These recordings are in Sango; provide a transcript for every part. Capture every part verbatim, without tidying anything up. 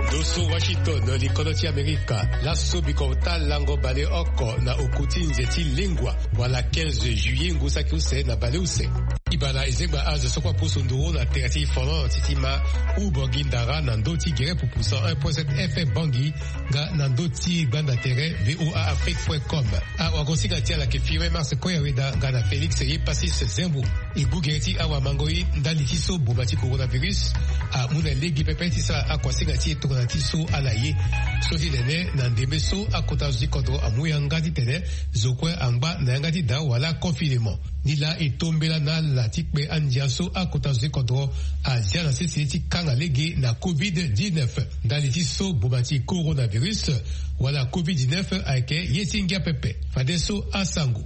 Ndo so Washington, likodro ti Amerika. Laso bikota lango baleoko na oku ti nze ti lengua, wala quinze juillet ngu saki use na baleuse. Ibala ezengba azo so kue apusu nduru na tere ti Finlande ti ti ma u Bongi ndara na ndö ti gere pupu cent un point sept F M Bongi, nga na ndö ti gbanda tere V O A Afrique point com. Awagosinga ti ala ayeke Firmin Mars Koyaweda nga na Félix Yepasis Zembo. E gbu gere ti awamangoi ndali ti so boma ti coronavirus amu na lege pepe ti sara akuasinga ti e tongana ti so ala ye. So ti tene na ndembe so akota zo ti kodro amu yanga titene zo kue angba na yanga ti daa wala confinement. Ni laa e tombela na ala ti kpe andia so akota zo ti kodro azia na sese ti kanga lege na covid dix-neuf. Ndali ti so boma ti coronavirus wala covid dix-neuf ayeke ye ti ngia pepe. Fadeso asango.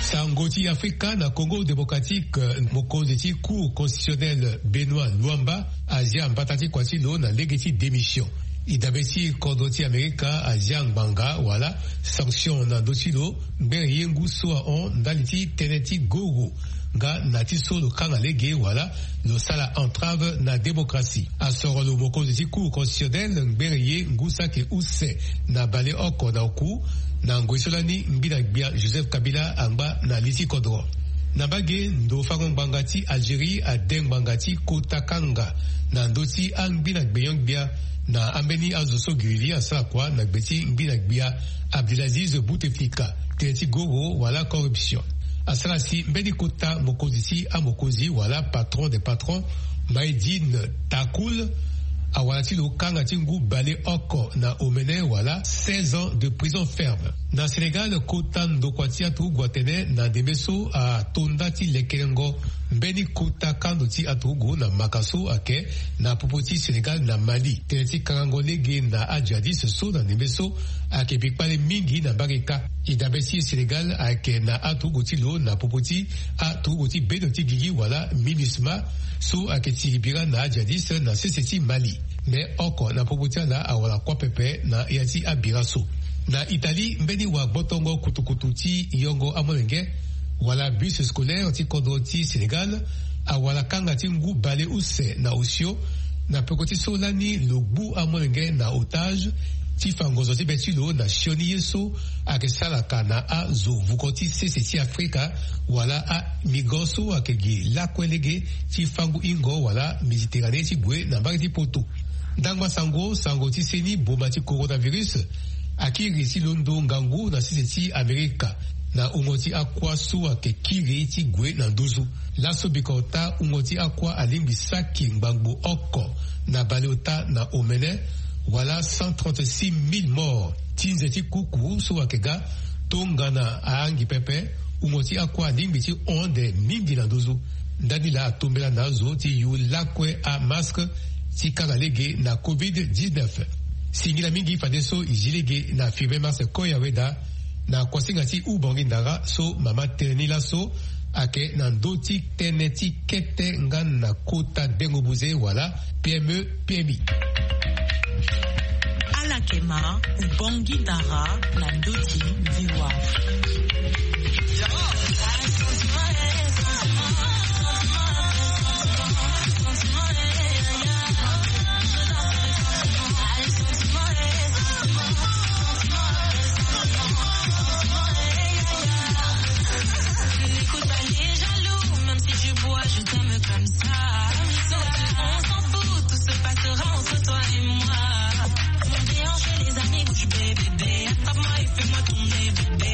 Sango ti Afrika na Congo Démocratique, mokonzi ti Cour constitutionnelle Benoît Luamba azia mbata ti kua ti lo na lege ti démission. E dabe ti kodro ti Amerika azia ngbanga wala sanction na ndö ti lo ngbere ye ngu so ahon ndali ti tënë ti goro nga na ti so lo kanga lege wala lo sala entrave na démocratie. Asoro lo mokonzi ti Cour constitutionnelle ngbere ye ngu saki use na baleoko na oku, na ngoi so lani ngbina gbia Joseph Kabila angba na li ti kodro. Na mbage ndo fango ngbanga ti Algérie ade ngbanga ti kota kanga na ndö ti angbina gbenyo-gbia na ambeni azo so giriri asara kua na gbe ti ngbina gbia Abdelaziz Bouteflika, tënë ti goro wala corruption. Asara si mbeni kota mokonzi ti amokonzi wala patron des patrons, Maïdine Takoul, awara ti lo kanga ti ngu baleoko na omene wala seize ans de prison ferme. Na Sénégal, kota ndokua ti aturugu atene na ndembe so ato nda ti lekelengo mbeni kota kando ti aturugu na maka so ayeke na popo ti Sénégal na Mali, tënë ti kangango lege na ajihadiste so na ndembe so ayeke bikpale mingi na mbage kâ. E dabe ti Sénégal ayeke na aturugu ti lo na popo ti aturugu ti bendo ti gigi wala MINUSMA so ayeke tiri bira na ajihadiste na sese ti Mali. Me oko na popo ti ala awara kuâ pepe na ya ti abira so. Na Italie, mbeni wagbotongo kutukutu ti yongo amolenge wala bus scolaire ti kodro ti Sénégal awara kanga ti ngu baleuse na osio, na peko ti so lani lo gbu amolenge na otage ti fa ngonzo ti be ti lo na sioni ye so ayeke salaka na azo vuko ti sese ti Afrika wala amigrant so ayeke gi lakue lege ti fango hingo wala Méditerranée ti gue na mbage ti poto. Ndangba sango, sango ti seni boma ti coronavirus akiri ti londo ngangu na sese ti Amerika na wungo ti akua so ayeke kiri ti gue na nduzu. Laso bikota wungo ti akua alingbi saki ngbangbo oko na baleota na omene, wala cent trente-six mille morts. Ti nze ti kuku so ayeke ga tongana ahangi pepe, wungo ti akua alingbi ti hon ande mingi na nduzu. Ndani laa atombela na azo ti yu lakue amask ti kanga lege na covid dix-neuf. Singila mingi fadeso e zi lege na Firmin Mars Koyaweda na kuasinga ti Ubongi Ndara so mama tene ni laso ayeke na ndö ti tënë ti kete nga na kota dengo buze wala P M E, P M I. Ala yeke ma Ubongi Ndara na ndö ti V O A. N'écoute pas les jaloux, même si tu bois, je t'aime comme ça. Nous, on s'en fout, tout se passera entre toi et moi. Mon déhanché, les amis, bouge, bébé. Attrape-moi et fais-moi tourner, bébé.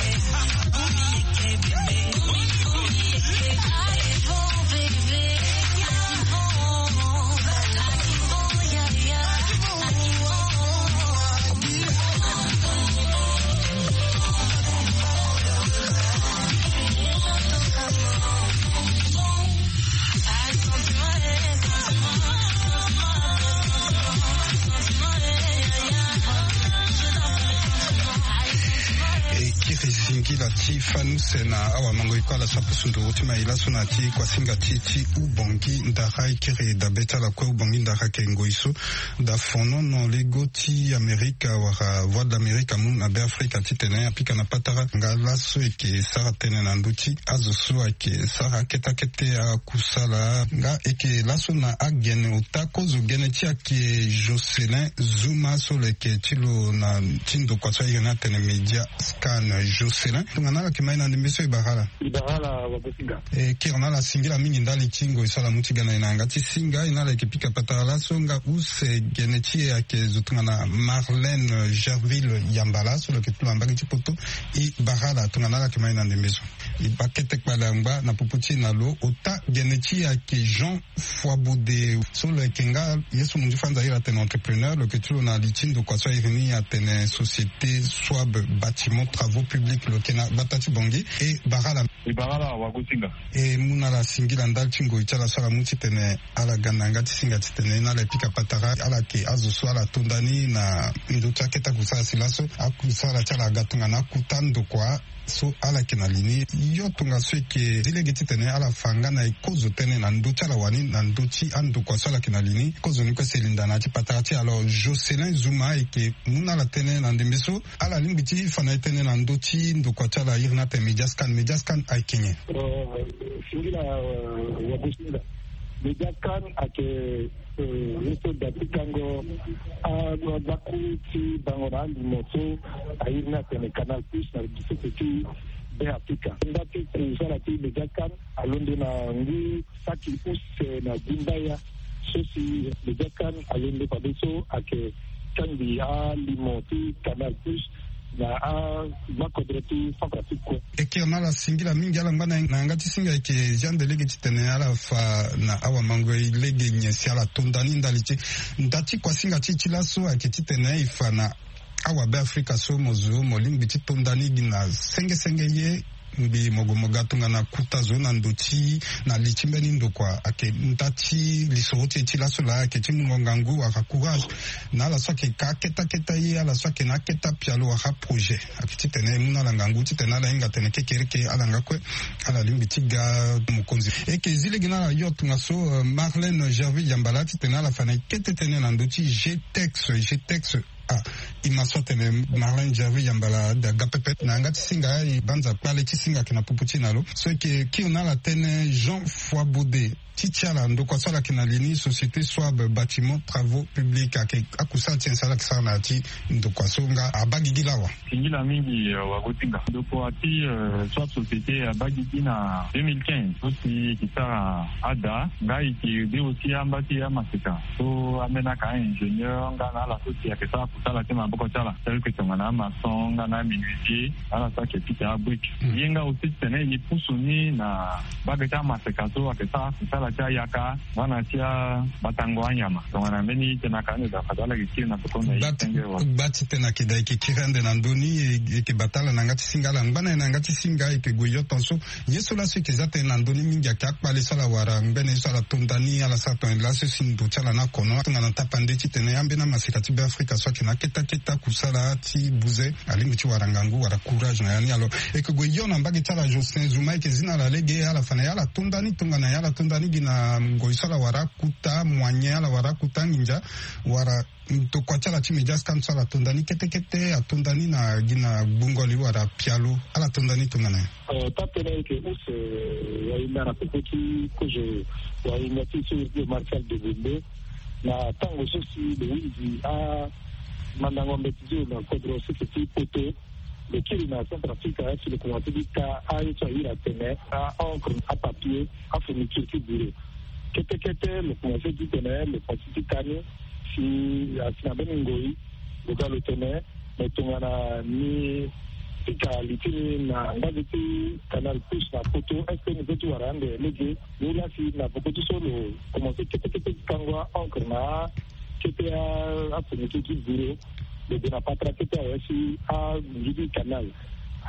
Ti fani use na awamango e kue ala sa pusu nduru ti mai laso na ti kuasinga ti ti Ubongi Ndara. E kiri dabe ti ala kue Ubongi Ndara ayeke ngoi so da fonono lego ti Amerika wala Voix de l'Amérique amu na Be Afrika titene apika na patara nga laso eke sara tënë na ndö ti azo so ayeke sara kete kete akusala nga eke laso na agene ota kozo gene ti ayeke Jocelyn Zuma so lo yeke ti lo na ti ndokua so airi ni atene Media Scan. Jocelyn, tongana ala yeke ma e na ndembe so e bara ala. E bara ala wagosinga. E kiri na ala singila mingi ndali ti ngoi so ala mu ti ga na e na yanga ti singa. E na ala yeke pika patara laso nga use gene ti e ayeke zo tongana Marlène Gerville Yambala so lo yeke ti lo na mbage ti poto. E bara ala tongana ala yeke ma e na ndembe so. E baa kete kpale angba na popo ti e na lo. Ota gene ti e ayeke Jean Foibaudet so lo yeke nga ye so mo nzi fanza iri atene entrepreneur, lo yeke ti lo na li ti ndokua so airi ni atene Société Soab Bâtiment Travaux Publics, lo yeke na gbata ti Bangui. E bara ala. E bara ala wagosinga. E mu na ala singila ndali ti ngoi ti ala so ala mu titene ala ga na yanga ti singa titene na ala e pika patara ala yeke azo so ala tonda ni na ndö ti akete akusala si laso akusala ti ala aga tongana akuta ndokua so ala yeke na li ni. Yo tongaso e yeke zi lege titene ala fa nga na e kozo tënë na ndö ti ala wani na ndö ti andokua so ala yeke na li ni. Kozo ni kue si e linda na ya ti patara ti e. Alors Jocelyn Zuma e yeke mu na ala tënë na ndembe so ala lingbi ti fa na e tënë na ndö ti ndokua ti ala iri ni atene Media Scan. Media Scan ayeke nyen? Singila wagosinga. Media Scan ayeke ye so da ti kango agbaku ti bango na alimo so airi ni atene Canal Plus na sese ti Be Afrika. Nda ti kusala ti Media Scan alondo na ngu saki use na gumbaya so si Media Scan alondo fadeso ayeke kangbi alimo ti Canal Plus na agbakodro ti Centrafrique kue. E kiri na ala singila mingi ala ngba na yanga ti singa e yeke zia nde lege titene ala fa na awamango e lege nyen si ala tonda ni ndali ti e. Nda ti kuasinga ti e ti laso ayeke titene e fa na awabe Afrika so mo zo mo lingbi ti tonda ni gi na senge senge ye. Ngbii mo gue mo ga tongana kuta zo na ndo ti na li ti mbeni ndokua ayeke nda ti lisoro ti e ti laso laa ayeke ti mungo ngangu wala courage na ala so ayeke ka akete akete ye, ala so ayeke na akete apialo wala aprojet. Ayeke titene e mu na ala ngangu titene ala hinga atene kekereke ala nga kue ala lingbi ti ga mokonzi. E yeke zi lege na ala yo tongaso Marlène Gerville Yambala titene ala fa na e kete tënë na ndö ti G T E X. G T E X. Ah, e ma so atene Marlène Gerville Yambala aga pepe na yanga ti singa. E banza kpale ti singa ayeke na popo ti e na lo so e yeke kiri na ala tënë Jean Foibaudet ti ti ala ndokua so ala yeke na li ni Société Soab Bâtiment Travaux Publics ayeke akusala ti nyen si ala yeke sara na ya ti ndokua so nga abaa gigi lawa. Singila mingi wagosinga. Ndokua ti Soab Société abaa gigi na deux mille quinze so si e yeke sara ada nga e yeke de aussi amba ti amaseka so ambeni aka ingénieur nga na ala so si ayeke sara kusala ti maboko ti ala tel que tongana amaçon nga na amenuisier na ala so ayeke pika abrique. Ye nga aussi titene e pusu ni na mbage ti amaseka so ayeke sara kusala ti ayaka nga na ti abatango anyama. Tongana mbeni tënë aka ande da fade ala yeke kiri na peko na e senge wa. Gba ti tënë ayeke da e yeke kiri ande na ndö ni e yeke bata ala na yanga ti singa ala ngba na e na yanga ti singa e yeke gue yo tongaso. Ye so laso e yeke za tënë na ndö ni mingi ayeke akpale so ala wara ngbene ye so ala tonda ni ala sara tongana laso si ndo ti ala na kono tongana tapande titene ambeni amaseka ti Beafrika so ayeke na akete akete akusala ti buze alingbi ti wara ngangu wala courage na ya ni. Alors e yeke gue yo na mbage ti ala Jocelyn Zuma e yeke zi na ala lege ala fa na e ala tonda ni tongana e ala tonda ni gi na ngoi so ala wara akuta moyen ala wara akuta nginza wala Ndokua ti ala ti Media Scan so ala tonda ni kete kete atonda ni na gi na gbungo li wala pialo ala tonda ni tongana nyen? Tapene ayeke use wahinda na popo ti kozo wahinda ti so iri ti Martial Degonde na tango so si lo hunzi amandango mbeti ti lo na kodro sese ti poto. Lo kiri na Centrafrique si lo komanse ti ka aye so ahiri atene a-encre, apapier, afourniture ti bureau. Kete kete lo komanse ti tene lo komanse ti ka ni si asi na mbeni ngoi lo ga lo tene me tongana ni pika li ti ni na mbage ti Canal Plus na poto, est-ce que ni peut ti wara ande lege? Ni la si na poko ti so lo komanse kete kete ti kango a-encre na akete afourniture ti bureau. Lo gue na patara kete awe si angidi canal.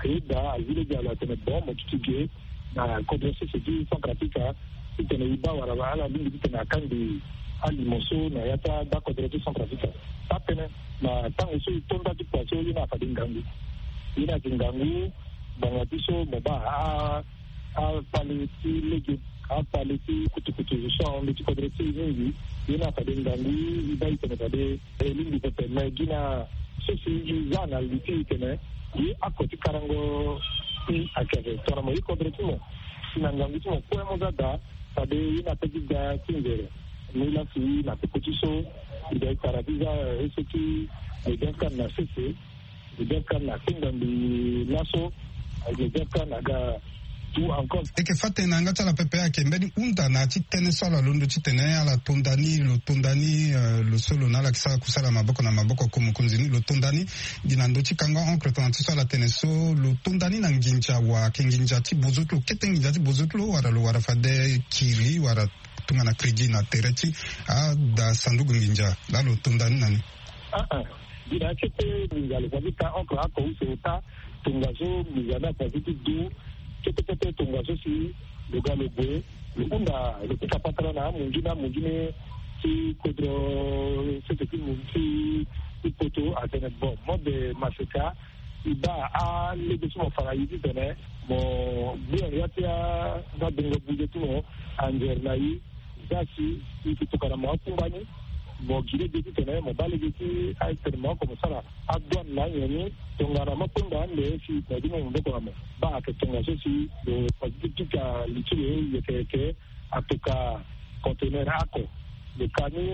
Ayeda azi lege alo atene bon mo duti ge na kodro sese ti Centrafrique titene e baa wala ala lingbi titene akangbi alimo so na ya ti agba kodro ti Centrafrique. Tapene na tango so e to nda ti kua so ye ni afade ngangu. Ye ni ayeke ngangu. Ngbanga ti so mo baa akpale ti lege, akpale ti kutukutu so ahon nde ti kodro ti e mingi. Ye ni afade ngangu e baa e tene fade e lingbi pepe me gi na sese e za na li ti e tene ye ako ti karango ti akere tongana mo ye kodro ti mo si na ngangu ti mo kue mo za daa. Fade ye ni ape ti da ti nzere. Ni lasi na peko ti so e da e tara ti za eso ti e da kâ na sese. Peut-être na kpengba mbi laso, peut-être na ga tout encore. E yeke fâ tënë na yanga ti ala pepe ayeke mbeni hunda na ya ti tënë so ala londo titene ala to nda ni, lo to nda ni, eh, lo so lo na ala yeke sara kusala maboko na maboko, ko mokonzi ni lo to nda ni. Gi na ndö ti kango oncle tongana ti so ala tene so lo to nda ni na nginza wa ayeke nginza ti bozo ti lo kete nginza ti bozo ti lo wala lo wara fade kiri wala tongana crédit na tere ti ada sanduku nginza laa lo to nda ni na ni. Ah ah. Gi na ya kete nginza lo fade ka oncle ako use ota. Tongaso nginza ni afa ti du kete kete tongaso si lo ga lo gue lo hunda lo pika patara na amunzu na amunzu ni ti kodro sese ti mu ti ti poto atene bon mode maseka. E baa alege ti mo fa na ye titene mo gbu na ya ti azadongo buze ti mo anzere na ye. Za si e yeke tokua na mo akungba ni. Mo gi lege titene mo baa lege ti atene mo oko mo sara adouane na anyen ni. Tongana mo kpengba ande si na ye ti mo maboko na mo baa ayeke tongaso si lo fa ti pika li ti lo yeke yeke. Atoka conteneur ako lo ka ni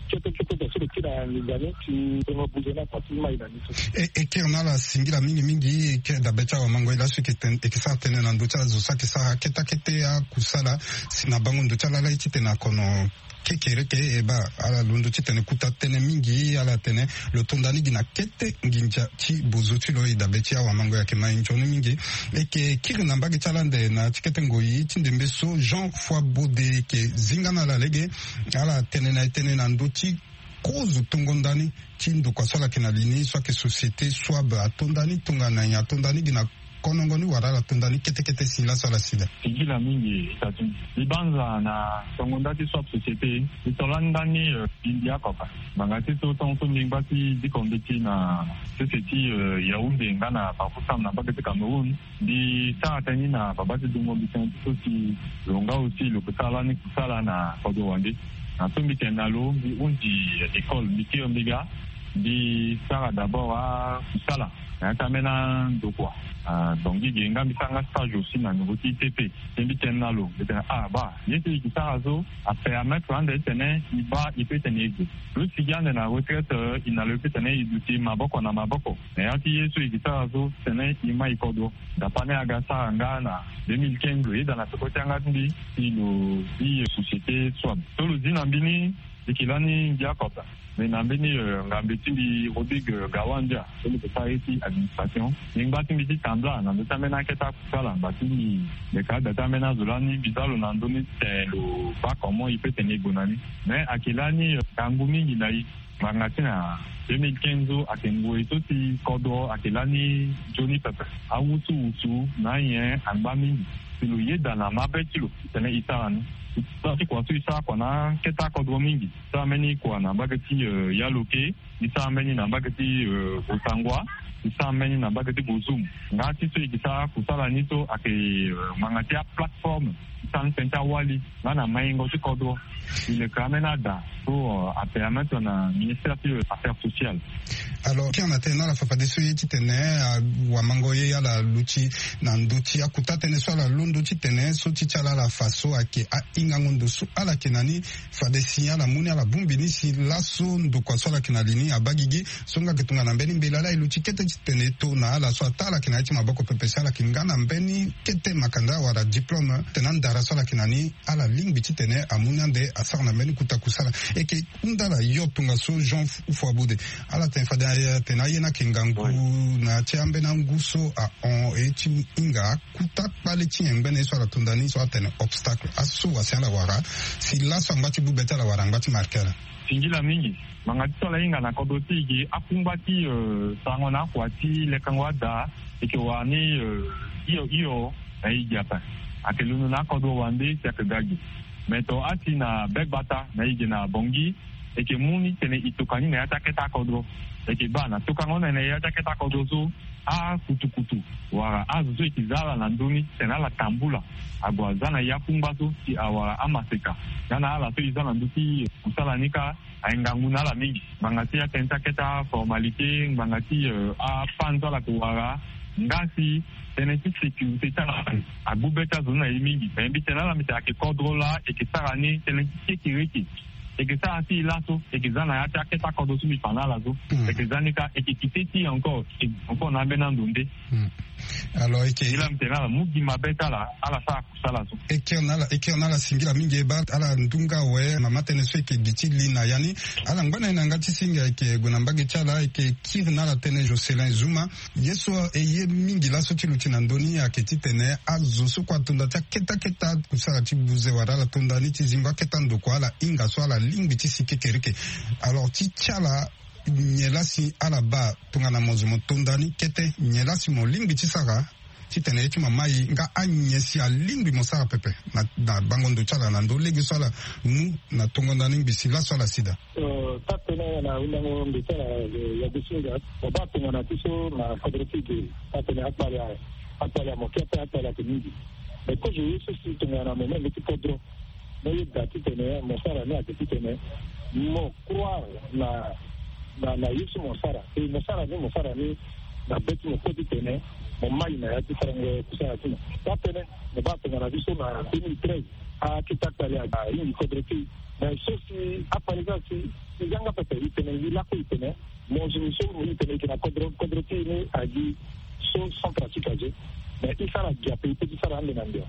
kete kete tongaso lo kiri na nginza ni ti tongo buze ni afa ti mai na ni so. E kiri na ala singila mingi mingi. E kiri dabe ti awamango ye laso e yeke sara tënë na ndö ti azo so ayeke sara kete akete akusala si na bango ndo ti ala laa ye titene akono kekereke e baa ala londo titene kuta tënë mingi ala tene lo to nda ni gi na kete nginza ti bozo ti lo. E dabe ti awamango e yeke ma e nzoni mingi. E yeke kiri na mbage ti ala ande na ya ti kete ngoi ti ndembe so Jean Foibaudet e yeke zinga na ala lege. Ala tene na e tënë na ndö ti kozo tongo nda ni ti ndokua so ala yeke na li ni so ayeke société Swab ato nda ni tongana nyen ato nda ni gi na konongo ni wala ala to nda ni kete kete si laso ala si daa. Singila mingi e ta ti libanza na tongo nda ti Swab société. E to lani nda ni bimbi akoka ngbanga ti so tongo so mbi ngba ti diko mbeti na sese ti Yaoundé nga na Bafoussam na mbage ti Cameroun. Mbi sara tënë ni na baba ti dungo mbi tënë ti so si lo nga aussi lo ke sara lani kusala na kodro wande. Na so mbi tene na lo mbi hunzi école mbi kiri mbi ga. Mbi sara d'abord akusala na ya ti ambeni andokua. Donc gi ge nga mbi sara nga stage aussi na niveau ti I T P. Mbi tene na lo mbi tene ah baa ye so e ke sara so apermettre ande titene e baa e pe tene e gue. Lo sigi ande na retraite e na lo e pe tene e duti maboko na maboko na ya ti ye so e ke sara so titene e ma e kodro. Dapa ni aga sara nga na deux mille quinze lo yeda na peko ti yanga ti mbi si lo zi société Swab so lo zi na mbi ni. E ke lani ngia kota. Mais na mbeni ngambe ti mbi Rodrigue Gawandia so lo ke sara ye ti administration. Mbi ngba ti mbi ti tambula na ndö ti ambeni akete akusala ngba ti mbi. Mbi ka ada ti ambeni azo lani mbi za lo na ndö ni titene lo baa comment e pe tene e gue na ni. Mais ayeke lani ngangu mingi na e. Ngbanga ti na deux mille quinze so ayeke ngoi so si kodro ayeke lani nzoni pepe. Awusuwusu na anyen angba mingi. Si lo yeda na mabe ti lo titene e sara ni. E sara ti kua so e sara kua na akete akodro mingi. Sara mbeni kua na mbage ti Yaloke. E sara mbeni na mbage ti Bosangwa. E sara mbeni na mbage ti Bozoum. Nga ti so e ke sara kusala ni so ayeke ngbanga ti aplateforme. E sara ni tënë ti awali nga na maingo ti kodro. E leke ambeni ada so apermettre na ministère ti affaires sociales. Alors kiri na tënë na ala fafadeso ye titene awamango ye ala luti na ndö ti akuta tënë so ala londo titene so ti ti ala ala fa so ayeke ahingango ndo so ala yeke na ni. Fade si ala mu ni ala bongbi ni si laso ndokua so ala yeke na li ni abaa gigi. So nga yeke tongana mbeni mbela laa e luti kete titene e to na ala so ataa ala yeke na ya ti maboko pepe si ala yeke nga na mbeni kete makanda wala diplôme titene andara so ala yeke na ni. Ala lingbi titene amu ni ande asara na mbeni kuta kusala. E yeke hunda ala yo tongaso Jean Foibaudet. Ala tene fade atene aye ni ayeke ngangu na ya ti ambeni angu so ahon e ti hinga akuta kpale ti nyen ngbene ye so ala to nda ni so atene obstacle aso wa si ala wara si laso angba ti bube ti ala wala angba ti marke ala. Singila mingi. Ngbanga ti so ala hinga na kodro ti e gi akungba ti sarango na akua ti lekango ada. E yeke wara ni hio hio na e gi ape. Ayeke londo na akodro wande si ayeke ga gi. Me to asi na begbata na ige na bongi, eke mu ni tene e toka ni na ya ti akete akodro. Eke baa na tokango na ya ti akete akodro so, akutukutu wala azo so eke za ala na ndö ni tene ala tambula ague aza na ya kungba so si awara amaseka. Nga na ala so e za na ndö ti kusala ni kâ, aye ngangu na ala mingi. Ngbanga ti atënë ti akete aformalité, ngbanga ti apanzo ala ke wara, nga si tënë ti sécurité ti ala agbu be ti azo ni na e mingi. Me mbi tene na ala mbi tene ayeke kodro laa eke sara ni tënë ti kekereke. Eke sara ti e laso eke za na ya ti akete akodro so mbi fa na ala so. Eke za ni kâ eke kite ti e encore, encore na ambeni ando nde. Alors eke, e laa mbi tene na ala mu gi mabe ti ala, ala sara kusala so. E kiri na ala, e kiri na ala singila mingi e baa ala ndunga awe. Mama tënë so eke gi ti li na ya ni. Ala ngba na e na yanga ti singa eke gue na mbage ti ala, eke kiri na ala tënë Jocelyn Zuma. Ye so e ye mingi laso ti luti na ndö ni ayeke titene azo so kue ato nda ti akete akete akusala ti buze wala ala to nda ni ti zingo akete ando kua, ala hinga so ala lingbi ti si kekereke. Alors ti ti ala, nyen laa si ala baa tongana mo zo mo to nda ni kete, nyen laa si mo lingbi ti sara titene ye ti mo amai nga anyen si alingbi mo sara pepe na, na bango ndo ti ala na ndö lege so ala mu na tongo nda ni ngbi si laso ala si daa? Euh, taa tënë na hundango mbi ti ala, euh, ya duti nga. Mo baa tongana ti so na kodro ti e ge, taa tënë akpale, akpale amo kete, akpale ake mingi. Mais kozo ye so si tongana mo mê mbeti kodro, mo yeda titene mo sara ni ayeke titene mo croire na, na, na ye so mo sara. E mo sara ni, mo sara ni na be ti mo kue titene mo mai na ya ti sarango kusala ti mo. Taa tënë, mo baa tongana ti so na deux mille treize, akete akpale ahingi kodro ti e. Mais so si akpale so asi, si e yanga pepe, e tene ngi lakue, e tene mo zo ni so, e tene e yeke na kodro, kodro ti e ni agi so Centrafrique azo. Mais e sara gi ape, e peut ti sara ande na ande.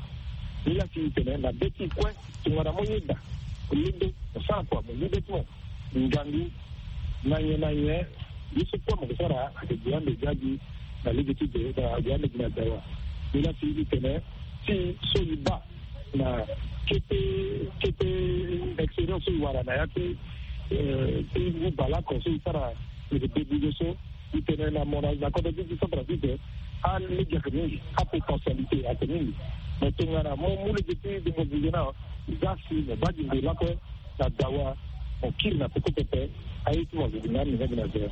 Nilaa si e tene na be ti e kue, tongana mo yeda, mo londo, mo sara kua, mo mu be ti mo ngangu, na nyen na nyen, ye so kue mo ke sara ayeke gi ande gi agi na lege ti de, na gi ande gi na dawa. Nilaa si e tene ti so e baa na kete, kete expérience so e wara na ya ti, eh, ti ngu bale oko so e sara lege de buze so, e tene na mo na, na kodro ti Centrafrique, alege ayeke mingi, apotentialité ayeke mingi. Mais tongana mo mu lege ti dengo buze ni, za si mo baa gi ngu lakue na dawa, mo kiri na peko pepe, aye ti mo azo gi na ni nga gi na zero.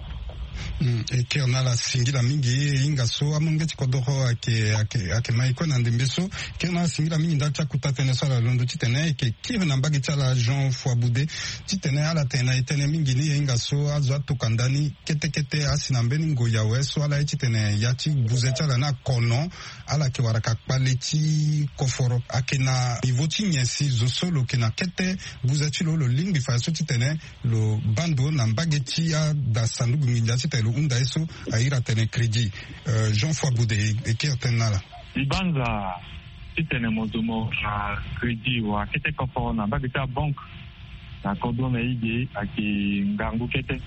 Hmm, e kiri na ala singila mingi, e hinga so amolenge ti kodro ayeke, ayeke, ayeke mai kue na ndembe so. Kiri na ala singila mingi ndali ti akuta tënë so ala londo titene e yeke kiri na mbage ti ala Jean Foiboude, titene ala tene na e tënë mingi ni, e hinga so azo atoka nda ni kete kete asi na mbeni ngoi awe so ala ye titene ya ti buze ti ala ni akono, ala yeke wara ka kpale ti koforo. Ayeke na niveau ti nyen si zo so lo yeke na kete buze ti lo, lo lingbi fa so titene lo baa ndo na mbage ti ada sanduku nginza titene lo hunda ye so a iri atene crédit? Euh, Jean Foiboude, e, e kiri tënë na ala. Libanza titene mo zo mo, ah, crédit wala kete koforo na mbage ti abanke na kodro na e ge ayeke ngangu kete.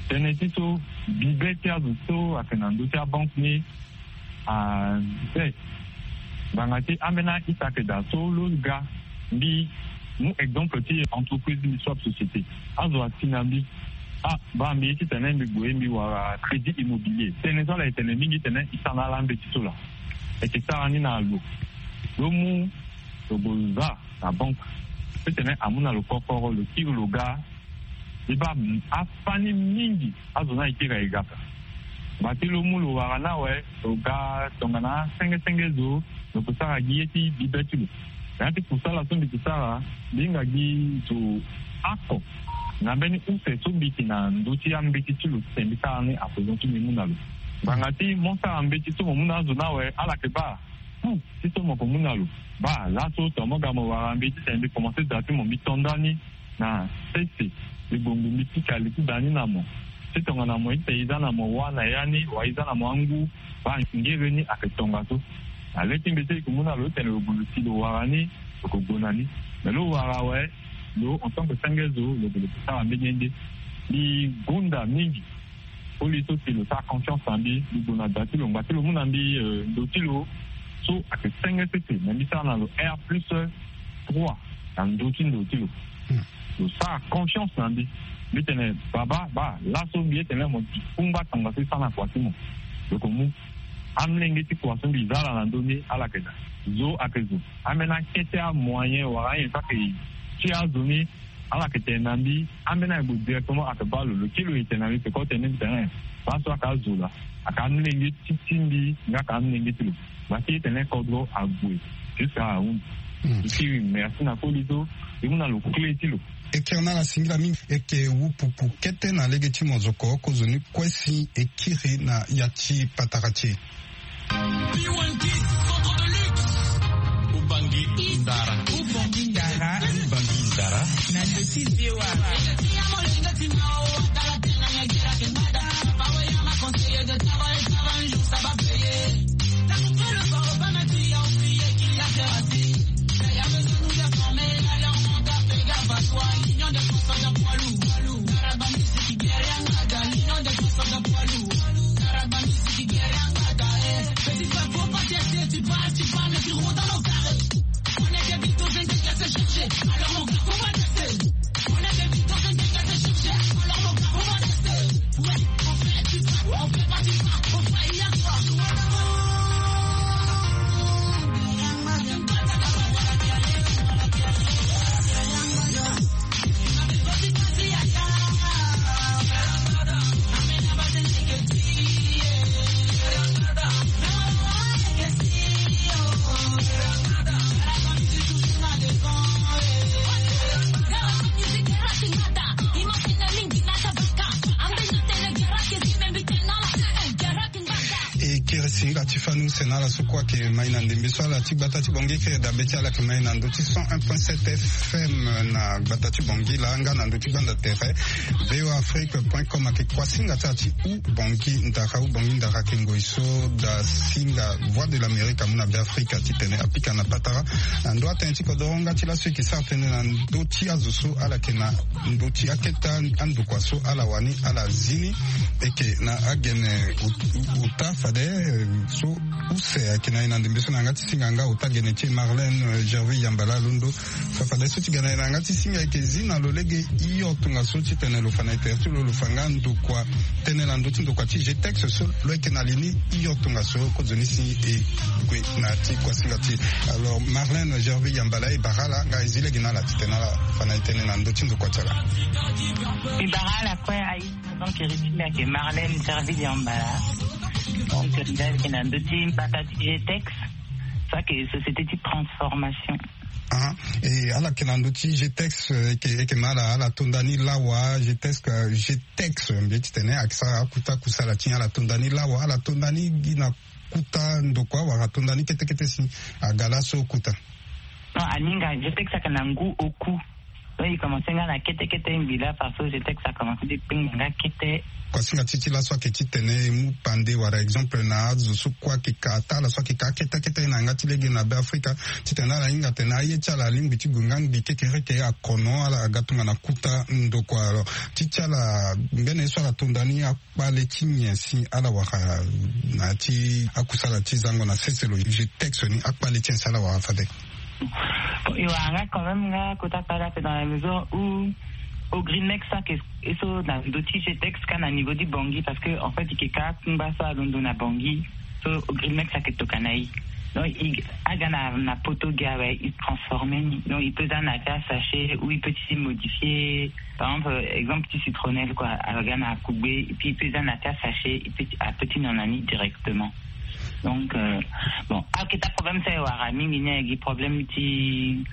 Tënë ti so bibe ti azo so ayeke na ndö ti abanke ni, ah, be ngbanga ti ambeni a-ita ayeke daa so lo ga. Mbi mu exemple ti entreprise ti mbi, Swap Société. Azo asi na mbi, ah, baa, mbi ye titene mbi gue mbi wara crédit immobilier. Tënë so ala yeke tene mingi titene e sara na ala mbeti so laa. E yeke sara ni na lo. Lo mu, lo gue za na banque titene amu na lo kokoro, lo kiri lo ga. E baa, afani mingi azo ni ayeke kiri ayeke ga. Ngba ti lo mu lo wara ni awe, lo ga tongana senge senge zo, lo ke sara gi ye ti bibe ti lo. Na ya ti kusala so mbi ke sara, mbi hinga gi zo oko na mbeni use so mbi yeke na ndö ti ambeti ti lo titene mbi sara ni à présent ti mbi mu na lo. Ngbanga ti mo sara mbeti so mo mu na azo ni awe, ala yeke baa, hmm, ti so mo ke mu na lo. Baa, laso tongana mo ga mo wara mbi titene mbi komanse da ti mo, mbi to nda ni na sese, mbi gue ngbii, mbi pika li ti da ni na mo. Ti tongana mo ye titene e za na mo wâ na ya ni, wala e za na mo angu, baa, ngere ni ayeke tongaso. Na le ti mbeti so e ke mu na lo titene lo gue lo si lo wara ni, lo ke gue na ni. Me lo wara awe, lo en tant que senge zo, lo gue lo ke sara mbeni ye nde. Mbi gonda mingi. Koli so si lo sara confiance na mbi, mbi gue na da ti lo, ngba ti lo mu na mbi, euh, ndo ti lo so ayeke senge sese, me mbi sara na lo R plus trois na ndo ti ndo ti lo. Hmm. Lo sara confiance na mbi. Mbi tene, baba, baa, laso mbi ye tene mo kungba tongaso e sara na kua ti mo. Lo ke mu amolenge ti kua so mbi za ala na ndö ni, ala yeke daa. Zo ayeke zo. Ambeni akete amoyen wala ayen so ayeke ti azo ni. Ala yeke tene na mbi, ambeni ayeke bo directement ayeke baa lo, lo kiri lo e tene na mbi, peko tene mbi tene baa so ayeke azo laa. Ayeke amolenge ti ti mbi nga ayeke amolenge ti lo. Baa ti e tene kodro ague jusqu'à ahunzi. Lo kiri merci na koli so e mu na lo clé ti lo. E kiri na ala singila mingi. E yeke wu pupu kete na lege ti mozoko kozoni kue si e kiri na ya ti patara ti e. Ubangi ndara. Ubangi ndara. Ubangi ndara. Na ndö ti V O A. E kiri singa ti fani use na ala so kue ayeke mai na ndembe so ala ti gbata ti Bangui. E kiri dabe ti ala ayeke mai na ndö ti cent un point sept F M na gbata ti Bangui laa nga na ndö ti gbanda tere V O A Afrique point com. Ayeke kuasinga ti ala ti Ubangi ndara. Ubangi ndara ayeke ngoi so da singa Voix de l'Amérique amu na Beafrika titene apika na patara na ndö atënë ti kodoro nga ti laso e yeke sara tënë na ndö ti azo so ala yeke na ndö ti akete andokua so ala wani ala zi ni. E yeke na agene ot-, ota fade, eh, so use ayeke na e na ndembe so na yanga ti singa nga ota gene ti e Marlène, eh, Gerville Yambala Londo. Fa fade so ti ga na e na yanga ti singa e yeke zi na lo lege hio tongaso titene lo fa na e tere ti lo, lo fa nga ndokua, tënë na ndö ti ndokua ti G T E X so lo yeke na li ni hio tongaso kozoni si e gue na ti kuasinga ti e. Alors Marlène Gerville Yambala, e bara ala nga e zi lege na ala titene ala fa na e tënë na ndö ti ndokua ti ala. E bara ala kue aye. Donc, Eritime ayeke Marlène Gerville Yambala. Donc, nda ayeke na ndö ti mbata ti G T E X. So ayeke société ti transformation. Ah, e ala yeke na ndö ti G T E X, e yeke, e yeke ma ala, ala to nda ni lawa, G T E X, G T E X, mbi ye titene ayeke sara akuta kusala ti ala to nda ni lawa, ala to nda ni gi na kuta ndokua wala to nda ni kete kete si aga laso kuta. Non, aninga, G T E X ayeke na ngu oku. Donc, e commencé nga na kete kete ngbi laa, parce que G T E X a commencé ti kpengba nga kete. Kuasinga ti e ti laso ayeke titene e mu pande wala exemple na azo so kue ayeke ka, ata ala so ayeke ka kete kete na yanga ti lege na Beafrika, titene ala hinga atene aye ti ala alingbi ti gue nga ngbi kekereke akono, ala ga tongana kuta ndokua. Alors ti ti ala, mbeni ye so ala to nda ni, akpale ti nyen si ala wara na ya ti akusala ti zango na sese lo, G T E X ni, akpale ti nyen si ala wara fade? Bon, e wara nga quand même nga kota kpale ape, dans la mesure où Ogrinex ayeke e so na ndö ti G T E X kâ na niveau ti Bangui, parce que en fait e yeke kâ akungba so alondo na Bangui, so Ogrinex ayeke tokua na e. Donc e, aga na, na poto gi awe, e transformer ni. Donc e peut za na ya ti asachet ou e peut ti modifier, par exemple, exemple ti citronnelle quoi, aga na akugbe, et puis e peut za na ya ti asachet, e peut ti, a peut ti nyon na ni directement. Donc, euh, bon, akete problème so e wara mingi ni ayeke problème ti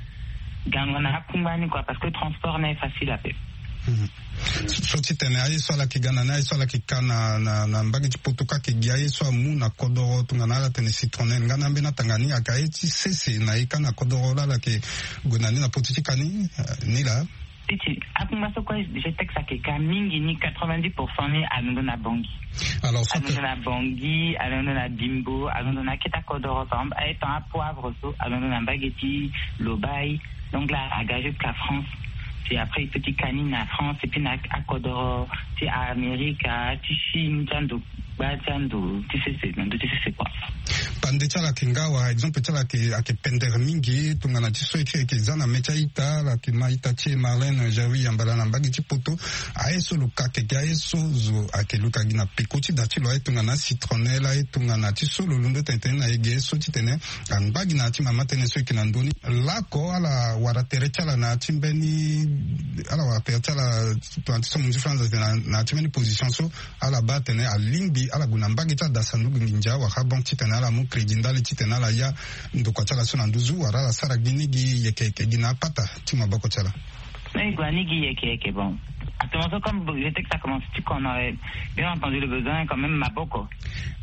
gango na akungba ni quoi, parce que transport ni aye facile ape. Mhm. So, so titene aye so ala yeke ga na ni, aye so ala yeke ka na, na, na mbage ti poto kâ, ayeke gi aye so amu na kodoro tongana ala tene citronnelle nga na ambeni atanga ni, ayeke aye ti sese na e kâ na kodoro laa ala yeke gue na ni na potu ti ka ni, eh, ni laa. Ti ti, akungba so kue G T E X ayeke ka mingi ni, quatre-vingt-dix pour cent ni alondo na Bangui. Alors, so alondo na Bangui, alondo na Bimbo, alondo na akete akodoro, par exemple, aye tan apoivre so alondo na mbage ti Lobaye. Donc là, aga jusqu'à France. Et après e peut ti ka ni na France et puis na akodoro ti Amerika, ti Chine, ti ando gba ti ando ti sese, na ndo ti sese kua. Pande ti ala ayeke nga wala exemple ti ala ayeke pendere mingi. Tongana ti so e kiri ayeke za na mê ti a-ita, ala yeke ma a-ita ti e Marlène Jawi Yambala na mbage ti poto. Aye so lo ka keke, aye so zo ayeke luka gi na peko ti da ti lo, aye tongana citronnelle, aye tongana ti so lo londo tene tene na e ge so titene angba gi na ya ti mama tënë so e yeke na ndö ni. Laoko ala wara tere ti ala na ya ti mbeni, ala wara tere ti ala tongana ti so mo nzi fo na nzete na ya ti mbeni position so ala baa atene alingbi ala gue na mbage ti ada sanduku nginza wala banque titene ala mu crédit ndali titene ala ya ndokua ti ala so na nduzu wala ala sara gi ni gi yeke yeke gi na apata ti maboko ti ala. Mais e gue na ni gi yeke yeke. Bon, actuellement so comme je sais que ça commence ti kono, bien entendu le besoin quand même maboko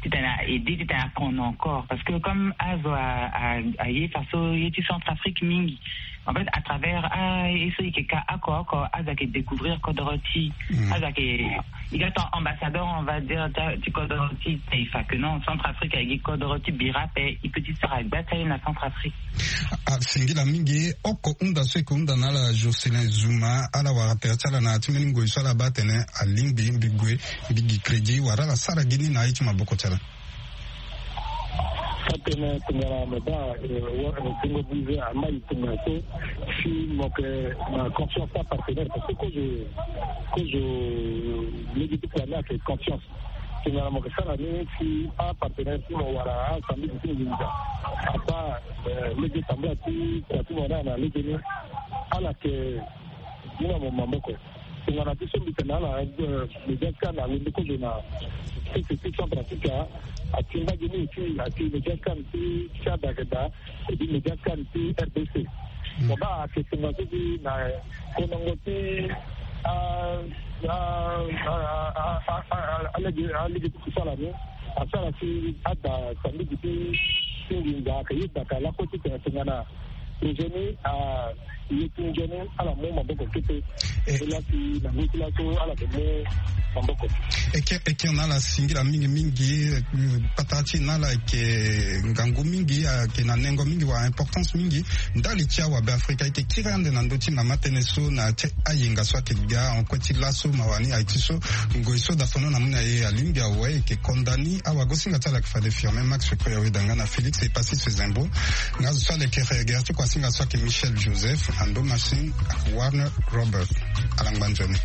titene a aide titene a kono encore parce que comme azo aye faso ye ti Centrafrique mingi. En fait à travers aye so e yeke ka oko oko azo ayeke découvrir kodoro ti azo ayeke, e ga ton ambassadeur on va dire ti kodoro ti taifa que non, Centrafrique ayeke gi kodoro ti bira ape. E peut ti sara gba ti aye na Centrafrique. Asingila mingi. Oko hunda so e yeke hunda na ala Jocelyn Zuma, ala wara tere ti ala na ya ti mbeni ngoi so ala baa atene alingbi mbi gue mbi gi crédit wala ala sara gi ni na aye ti maboko ti ala. Atene tongana mo baa tongo bize amai tongana so si mo yeke na confiance ti apartenaire parce que kozo kozo lege ti kua ni ayeke confiance. Tongana mo yeke sara ni si apartenaire ti mo wala asanduku ti nginza abaa lege tambula ti kua ti mo ni na lege ni, ala yeke mu na mo maboko. Tongana ti so mbi tene na ala, média scan alondo kozo na sese ti Centrafrica, atingba gi ni aussi ati média scan ti Tchad ayeke daa, epui média scan ti R D C. Mo baa ayeke tongaso ti na konongo ti a a a a a alege alege ti kusala ni asara si ada sanduku ti ti nginza ayeke yeda ka lako titene tongana Eugénie a ye ti nzoni ala mu maboko kete. E laa si na ngu ti laso ala yeke mu maboko. E ke e ke na ala singila mingi mingi. Patara ti e na ala ayeke ngangu mingi ayeke na nengo mingi wala importance mingi. Ndali ti awabe afrika e yeke kiri ande na ndö ti mama tënë so na ya ti ayenga so ayeke ga en kue ti laso mawa ni aye ti so ngoi so dafono na mu na e alingbi awe e yeke konda ni awagosinga ti ala yeke fade firme max. Koya weda nga na félix e pasi sezembo. Nga zo so ala yeke regere ti kuasinga so ayeke michel joseph ando machine warner robert. Ala ngba nzoni.